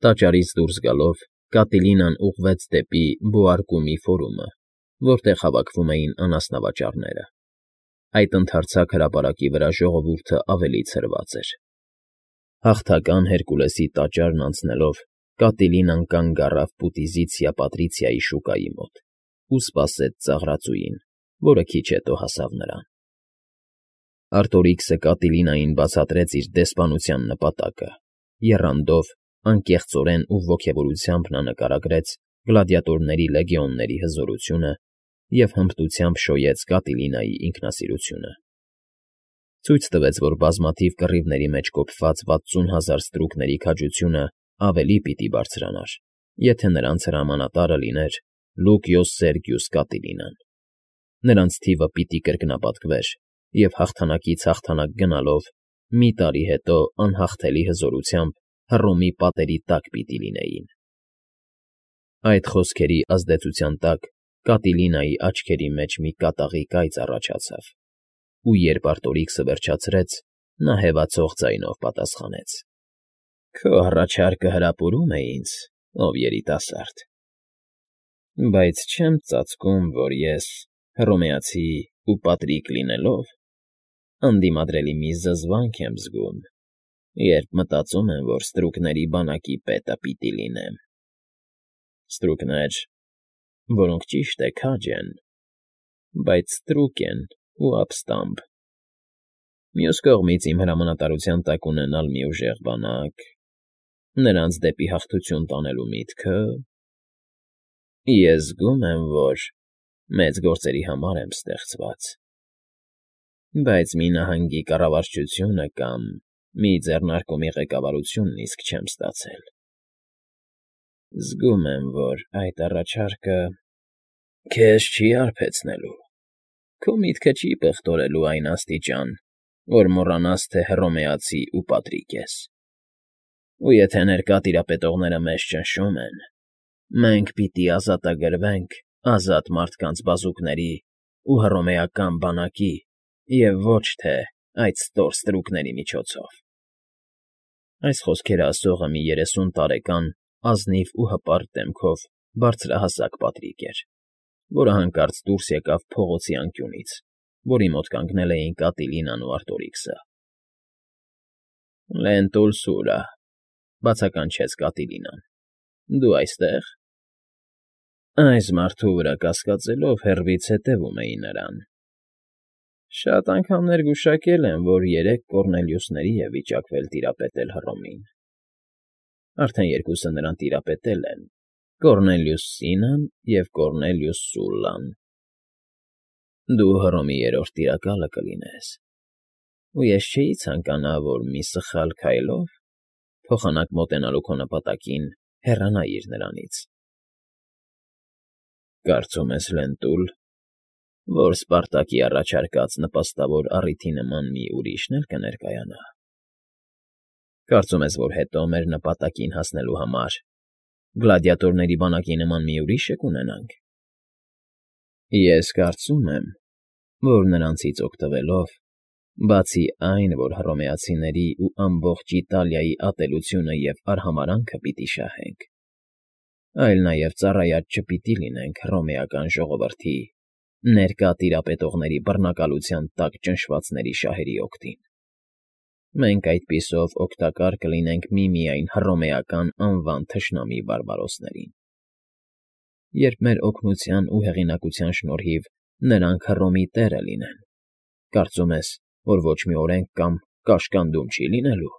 Տաճարից դուրս գալով՝ Կատիլինան ուղղվեց դեպի Բոարկումի ֆորումը, որտեղ հավաքվում էին անասնավաճառները. այդ ընդարձակ հրապարակի վրա ժողովուրդը ավելի ցրված էր։ Հաղթական Հերկուլեսի տաճարն անցնելով՝ Կատիլինան կանգ առավ Պուտիզիցիա Պատրիցիայի շուկայի մոտ ու սպասեց ծաղրածուին, որը քիչ հետո հասավ նրան։ Արտորիքսը Կատիլինային բացատրեց իր դեսպանության նպատակը, եռանդով, անկեղծորեն ու ոգևորությամբ նա նկարագրեց գլադիատորների լեգիոնների հզորությունը և հմտությամբ շոյեց Կատիլինայի ինքնասիրությունը։ Ցույց տվեց, որ բազմաթիվ կռիվների մեջ կոփված 60,000 ստրուկների քաջությունը ավելի պիտի բարձրանար, եթե նրանց հրամանատարը լիներ Լուկիոս Սերգիուս Կատիլինան։ Նրանց թիվը պիտի կրկնապատկվեր, և հաղթանակից հաղթանակ գնալով մի տարի հետո անհաղթելի հզորությամբ Հռոմի պատերի տակ պիտի լինեին։ Այդ խոսքերի ազդեցության տակ Կատիլինայի աչքերի մեջ մի կատաղի կայծ առաջացավ, ու երբ Արտորիքսը վերջացրեց, նա հևացող ձայնով պատասխանեց. «Քո առաջարկը հրապուրում է ինձ, ով երիտասարդ, բայց չեմ ծածկում, որ ես, հռոմեացի ու պատրիկ լինելով, անդիմադրելի մի զզվանք եմ զգում, երբ մտածում եմ, որ ստրուկների բանակի պետը պիտի լինեմ։ Ստրուկներ, որոնք, ճիշտ է, քաջ են, բայց ստրուկ են ու ապստամբ։ Մյուս կողմից, իմ հրամանատարության տակ ունենալ մի ուժեղ բանակ, նրանց դեպի հաղթություն տանելու միտքը… Ես զգում եմ, որ մեծ գործերի համար եմ ստեղծված, բայց մի նահանգի կառավարչությունը կամ մի ձեռնարկումի ղեկավարությունն իսկ չեմ ստացել։ Զգում եմ, որ այդ առաջարկը քեզ չի հարբեցնելու, քո միտքը չի պղտորելու այն աստիճան, որ մոռանաս, թե հռոմեացի ու պատրիկ ես։ Ու եթե ներկա տիրապետողները մեզ ճնշում են, մենք պիտի ազատագրվենք ազատ մարդկանց բազուկների ու հռոմեական բանակի և ոչ թե այդ ստոր ստրուկների միջոցով»։ Այս խոսքերը ասողը մի 30 տարեկան ազնիվ ու հպարտ դեմքով բարձրահասակ պատրիկ էր, որը հանկարծ դուրս եկավ փողոցի անկյունից, որի մոտ կանգնել էին Կատիլինան ու Արտորիքսը։ «Լենտուլ Սուրա,֊ բացականչեց Կատիլինան,֊ դու այստե՞ղ»։ Այս մարդու վրա կասկածելով՝ հեռվից հետևում էի նրան։ Շատ անգամներ գուշակել եմ, որ 3 Կոռնելիուսների է վիճակվել տիրապետել Հռոմին։ Արդեն երկուսը նրան տիրապետել են՝ Կոռնելիուս Սինան և Կոռնելիուս Սուլլան։ Դու Հռոմի 3-րդ տիրակալը կլինես, ու ես չէի ցանկանա, որ մի սխալ քայլով, փոխանակ մոտենալու քո նպատակին, հեռանայիր նրանից։ Կարծում ես, Լենտուլ, որ Սպարտակի առաջարկած նպաստավոր առիթի նման մի ուրիշն էլ կներկայանա։ Կարծում ես, որ հետո մեր նպատակին հասնելու համար գլադիատորների բանակի նման մի ուրիշը կունենանք։ Ես կարծում եմ, որ նրանցից օգտվելով, բացի այն, որ հռոմեացիների ու ամբողջ Իտալիայի ատելությունը և արհամարհանքը պիտի շահենք, այլ նաև ծառայած չպիտի լինենք հռոմեական ժողովրդի ներկա տիրապետողների բռնակալության տակ ճնշվածների շահերի օգտին։ Մենք այդպիսով օգտակար կլինենք միմիայն հռոմեական անվան թշնամի բարբարոսներին, երբ մեր օգնության ու հեղինակության շնորհիվ նրանք Հռոմի տերը լինեն։ Կարծում ես, որ ոչ մի օրենք կամ կաշկանդում չի լինելու։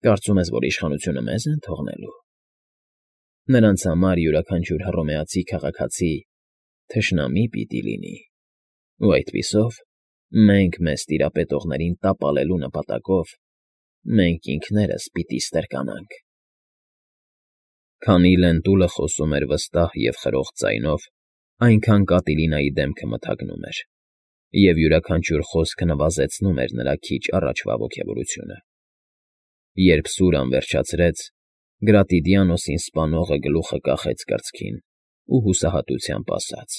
Կարծում ես, որ իշխանությունը մեզ են թողնելու։ Նրանց համար յուրաքանչյուր հռոմեացի քաղաքացի թշնամի պիտի լինի, ու այդպիսով մենք մեզ տիրապետողներին տապալելու նպատակով մենք ինքներս պիտի ստրկանանք։ Քանի Լենտուլը խոսում էր վստահ և խրոխտ ձայնով, այնքան Կատիլինայի դեմքը մթագնում էր, և յուրաքանչյուր խոսքը նվազեցնում էր նրա քիչ առաջվա ոգևորությունը։ Երբ Սուրան վերջացրեց, Գրատիդիանոսին սպանողը գլուխը կախեց կրծքին ու հուսահատությամբ ասաց.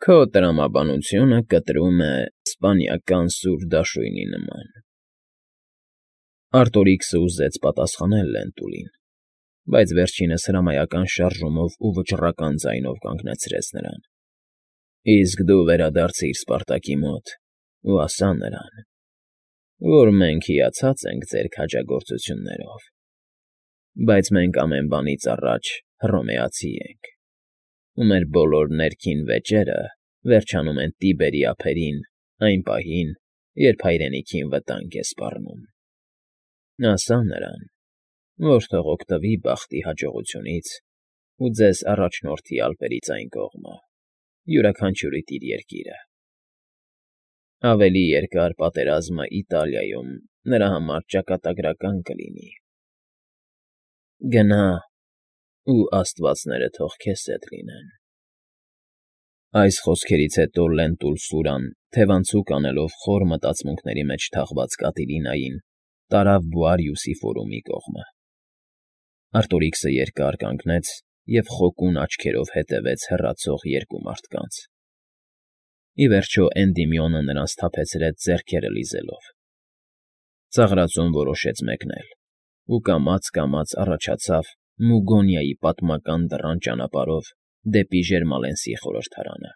«Քո տրամաբանությունը կտրում է իսպանիական սուր դաշույնի նման»։ Արտորիքսը ուզեց պատասխանել Լենտուլին, բայց վերջինս հրամայական շարժումով ու վճռական ձայնով կանգնեցրեց նրան։ Իսկ դու վերադարձիր Սպարտակի մոտ ու ասա նրան, որ մենք հիացած ենք ձեր քաջագործություններով, բայց մենք ամեն բանից առաջ հռոմեացի ենք, ու մեր բոլոր ներքին վեճերը վերջանում են Տիբերի ափերին այն պահին, երբ հայրենիքին վտանգ է սպառնում։ Ասա նրան, որ թող օգտվի բախտի հաջողությունից ու ձեզ առաջնորդի ալպերից այն կողմը, յուրաքանչյուրի իր երկիրը։ Ավելի երկար պատերազմը Իտալիայում նրա համար ճակատագրական կլինի։ Գնա, ու աստվածները թող քեզ հետ լինեն։ Այս խոսքերից հետո Լենտուլ-Սուրան, թևանցուկ անելով խոր մտածմունքների մեջ թաղված Կատիլինային, տարավ Բոարիուսի ֆորումի կողմը։ Արտորիքսը երկար կանգնեց և խոկուն աչքերով հետևեց հեռացող երկու մարդկանց։ Ի վերջո Էնդիմիոնը նրան սթափեցրեց ձեռքերը լիզելով։ Ծաղրածուն որոշեց մեկնել ու կամաց֊կամաց առաջացավ Մուգոնիայի պատմական դռան ճանապարհով դեպի Ժերմալենսի խորհրդարանը։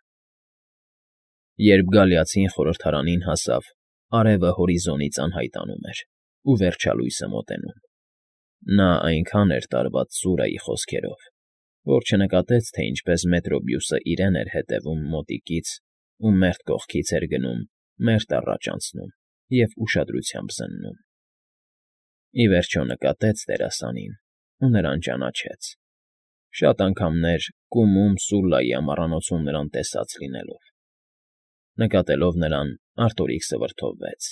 Երբ գալիացին խորհրդարանին հասավ, արևը հորիզոնից անհայտանում էր ու վերջալույսը մոտենում։ Նա այնքան էր տարված Սուրայի խոսքերով, որ չնկատեց, թե ինչպես Մետրոբիուսը իրեն էր հետևում մոտիկից ու մերթ կողքից էր գնում, մերթ առաջ անցնում և ուշադրությամբ զննում։ Ի վերջո նկատեց դերասանին ու նրան ճանաչեց, շատ անգամներ կումում Սուլլայի ամառանոցում նրան տեսած լինելով։ Նկատելով նրան, Արտորիքսը վրդովվեց,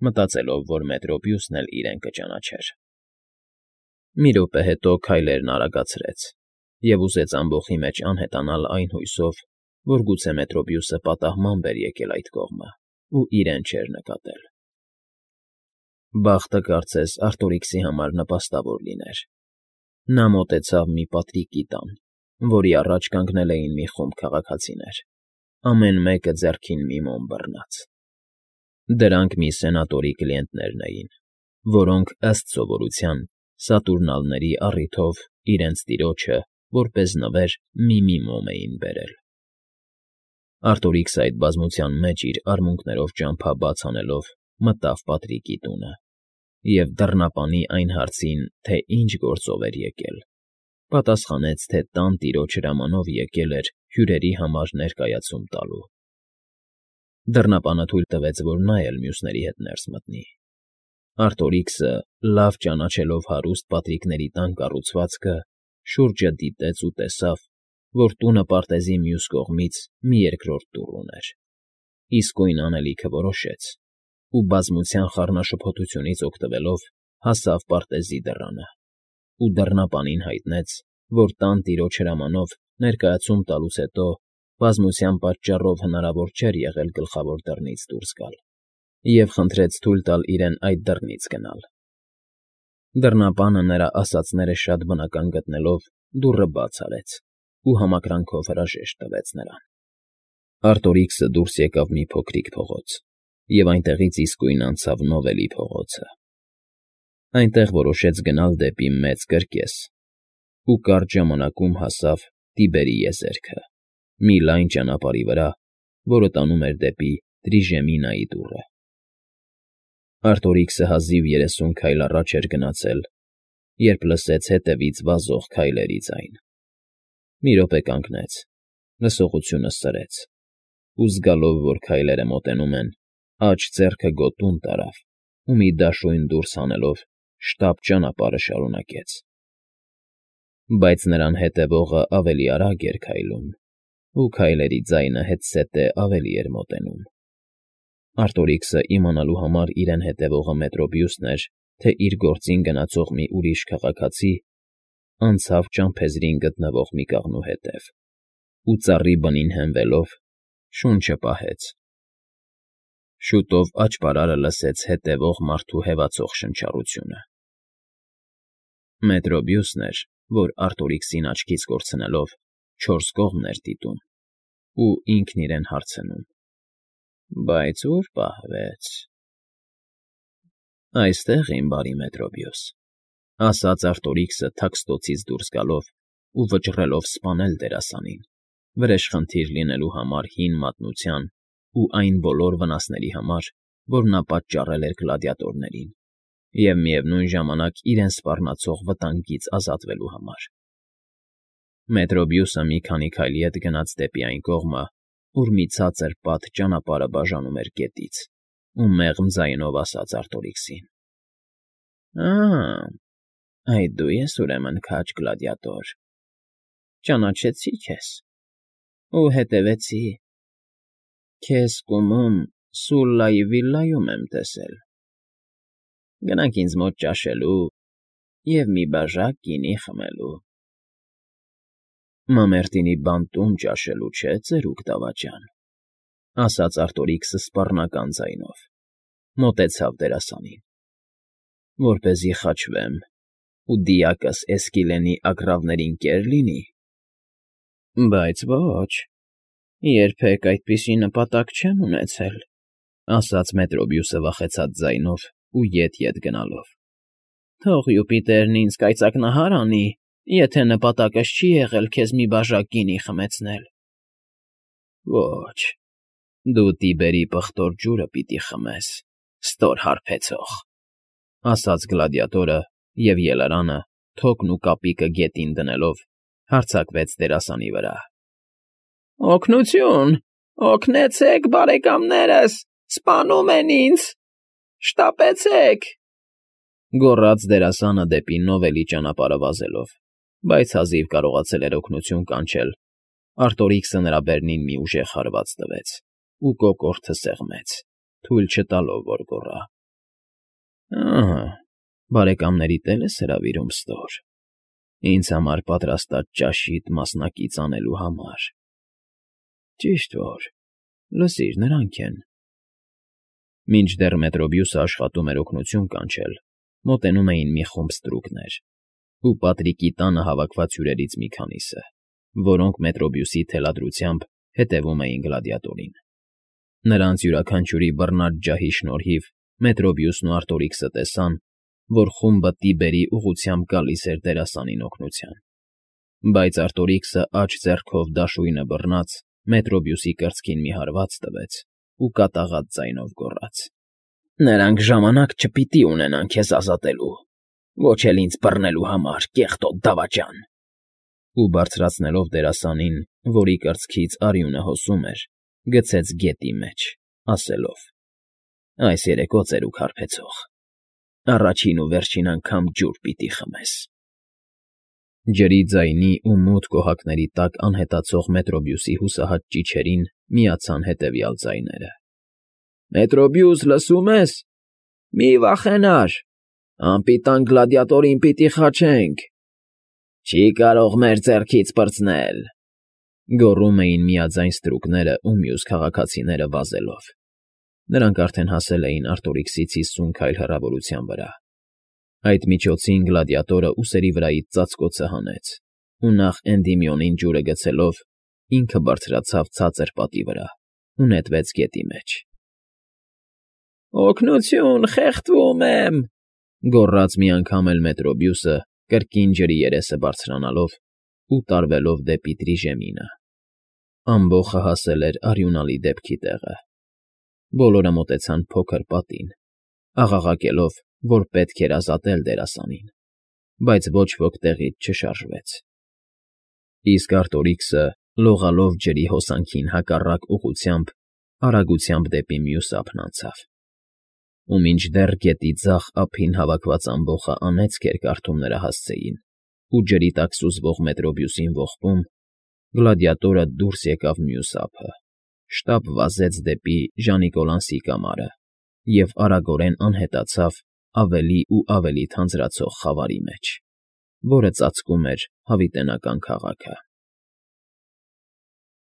մտածելով, որ Մետրոբիուսն էլ իրեն կճանաչեր։ Մի րոպե հետո քայլերն արագացրեց և ուզեց ամբոխի մեջ անհետանալ այն հույսով, որ գուցե Մետրոբիուսը պատահմամբ էր եկել այդ կողմը ու իրեն չէր նկատել։ Բախտը կարծես Արտորիքսի համար նպաստավոր լիներ։ Նա մոտեցավ մի պատրիկի տան, որի առաջ կանգնել էին մի խումբ քաղաքացիներ, ամեն մեկը ձեռքին մի մոմ բռնած։ Դրանք մի սենատորի կլիենտներն էին, որոնք, ըստ սովորության, Սատուրնալների առիթով իրենց տիրոջը, որպես նվեր, մի մոմ էին բերել։ Արտորիքսը այդ բազմության մեջ իր արմունկներով ճամփա բաց անելով մտավ Պատրիկի տունը և դռնապանի այն հարցին, թե ինչ գործով էր եկել, պատասխանեց, թե տան տիրոջ հրամանով եկել էր հյուրերի համար ներկայացում տալու։ Դռնապանը թույլ տվեց, որ նա էլ մյուսների հետ ներս մտնի։ Արտորիքսը, լավ ճանաչելով հարուստ պատրիկների տան կառուցվածքը, շուրջը դիտեց ու տեսավ, որ տունը պարտեզի մյուս կողմից մի երկրորդ դուռ ուներ։ Իսկույն անելիքը որոշեց ու բազմության խառնաշփոթությունից օգտվելով հասավ պարտեզի դռանը ու դռնապանին հայտնեց, որ տան տիրոջ հրամանով ներկայացում տալուց հետո բազմության պատճառով հնարավոր չէր եղել գլխավոր դռնից դուրս գալ և խնդրեց թույլ տալ իրեն այդ դռնից գնալ։ Դռնապանը նրա ասածները շատ բնական գտնելով դուռը բաց արեց ու համակրանքով հրաժեշտ տվեց նրան։ Արտորիքսը դուրս եկավ մի փոքրիկ փողոց և այնտեղից իսկույն անցավ Նովելի փողոցը։ Այնտեղ որոշեց գնալ դեպի Մեծ Կրկես ու կարճ ժամանակում հասավ Տիբերի եզերքը, մի լայն ճանապարհի վրա, որը տանում էր դեպի Տրիժեմինայի դուռը։ Արտորիքսը հազիվ 30 քայլ առաջ էր գնացել, երբ լսեց հետևից վազող քայլերի ձայն։ Մի րոպե կանգնեց, լսողությունը սրեց ու զգալով, որ քայլերը մոտենում են, աջ ձեռքը գոտուն տարավ ու մի դաշույն դուրս հանելով շտապ ճանապարհը շարունակեց։ Բայց նրան հետևողը ավելի արագ էր քայլում, ու քայլերի ձայնը հետզհետե ավելի էր մոտենում։ Արտորիքսը իմանալու համար իրեն հետևողը Մետրոբիուսն էր, թե իր գործին գնացող մի ուրիշ քաղաքացի, անցավ ճամփեզրին գտնվող մի կաղնու հետև ու ծառի բնին հենվելով շունչը պահեց։ Շուտով աճպարարը լսեց հետևող մարդու հևացող շնչառությունը։ Մետրոբիուսն էր, որ Արտորիքսին աչքից կորցնելով 4 կողմն էր դիտում ու ինքն իրեն հարցնում. «Բայց ո՞ւր պահվեց»։ «Այստեղ, իմ բարի Մետրոբիուս», ասաց Արտորիքսը թաքստոցից դուրս գալով ու վճռելով սպանել դերասանին, վրեժխնդիր լինելու համար հին մատնության ու այն բոլոր վնասների համար, որ նա պատճառել էր գլադիատորներին, և միևնույն ժամանակ իրեն սպառնացող վտանգից ազատվելու համար։ Մետրոբիուսը մի քանի քայլի հետ գնաց դեպի այն կողմը, ուր մի ցածր պատ ճանապարհը բաժանում էր գետից, ու մեղմ ձայնով ասաց Արտորիքսին. Այդ դու ես ուրեմն քաջ գլադիատոր, ճանաչեցի քեզ ու հետևեցի, քեզ կումում Սուլլայի վիլայում եմ տեսել, գնանք ինձ մոտ ճաշելու և մի բաժակ գինի խմելու։ Մամերտինի բանտում ճաշելու չէ, ծերուկ դավաճան, ասաց Արտորիքսը սպառնական ձայնով, մոտեցավ դերասանին, որպեսզի խաչվեմ ու դիակս Էսկիլենի ագռավներին կեր լինի։ Բայց ոչ, երբեք այդպիսի նպատակ չեմ ունեցել, ասաց Մետրոբիուսը վախեցած ձայնով ու ետ գնալով։ Թող Յուպիտերն ինձ կայծակնահար անի, եթե նպատակս չի եղել քեզ մի բաժակ գինի խմեցնել։ Ոչ, դու Տիբերի պղտոր ջուրը պիտի խմես, ստոր հարբեցող, ասաց գլադիատորը և ելարանը, թոկն ու կապիկը գետին դնելով, հարձակվեց դերասանի վրա։ Օգնություն, օգնեցեք, բարեկամներս, սպանում են ինձ, շտապեցեք, գոռաց դերասանը դեպի Նովելի ճանապարհը վազելով, բայց հազիվ կարողացել էր օգնություն կանչել, Արտորիքսը նրա բերնին մի ուժեղ հարված տվեց ու կոկորդը սեղմեց, թույլ չտալով, որ գոռա. բարեկամներիդ էլ ես հրավիրում ստոր, ինձ համար պատրաստած ճաշիդ մասնակից անելու համար։ Ճիշտ որ, լսիր, նրանք են։ Մինչդեռ Մետրոբիուսը աշխատում էր օգնություն կանչել, մոտենում էին մի խումբ ստրուկներ ու Պատրիկի տանը հավաքված հյուրերից մի քանիսը, որոնք Մետրոբիուսի թելադրությամբ հետևում էին գլադիատորին։ Նրանց յուրաքանչյուրի բռնած ջահի շնորհիվ Մետրոբիուսն ու Արտորիքսը տեսան, որ խումբը Տիբերի ուղղությամբ գալիս էր դերասանին օգնության։ Բայց Արտորիքսը աջ ձեռքով դաշույնը բռնած Մետրոբիուսի կրծքին մի հարված տվեց ու կատաղած ձայնով գոռաց. Նրանք ժամանակ չպիտի ունենան քեզ ազատելու, ոչ էլ ինձ բռնելու համար, կեղտոտ դավաճան։ Ու բարձրացնելով դերասանին, որի կրծքից արյունը հոսում էր, գցեց գետի մեջ, ասելով. Այս երեկո ծերուկ հարբեցող, առաջին ու վերջին անգամ ջուր պիտի խմես։ Ջրի ձայնի ու մութ կոհակների տակ անհետացող Մետրոբիուսի հուսահատ ճիչերին միացան հետևյալ ձայները. Մետրոբիուս, լսում ես։ Մի վախենար, անպիտան գլադիատորին պիտի խաչենք։ Չի կարող մեր ձեռքից պրծնել, գոռում էին միաձայն ստրուկները ու մյուս քաղաքացիները վազելով։ Նրանք արդեն հասել էին Արտորիքսից 50 քայլ հեռավորության վրա։ Այդ միջոցին գլադիատորը ուսերի վրայից ծածկոցը հանեց ու նախ Էնդիմիոնին ջուրը գցելով, ինքը բարձրացավ ցածր պատի վրա ու նետվեց գետի մեջ։ Օգնություն, խեղդվում եմ, գոռաց մի անգամ էլ Մետրոբիուսը, կրկին ջրի երեսը բարձրանալով ու տարվելով դեպի Տրիժեմինը։ Ամբոխը հասել էր արյունալի դեպքի տեղը։ Բոլորը մոտեցան փոքր պատին, աղաղակելով, որ պետք էր ազատել դերասանին, բայց ոչ ոք տեղից չշարժվեց։ Իսկ Արտորիքսը, լողալով ջրի հոսանքին հակառակ ուղղությամբ, արագությամբ դեպի մյուս ափն անցավ։ Ու մինչդեռ գետի ձախ ափին հավաքված ամբոխը անեծք էր կարդում նրա հասցեին ու ջրի տակ սուզվող Մետրոբիուսին ողբում, գլադիատորը դուրս եկավ մյուս ափը, շտապ վազեց դեպի Ժանիկոլանսի կամարը և արագորեն անհետացավ ավելի ու ավելի թանձրացող խավարի մեջ, որը ծածկում էր հավիտենական քաղաքը։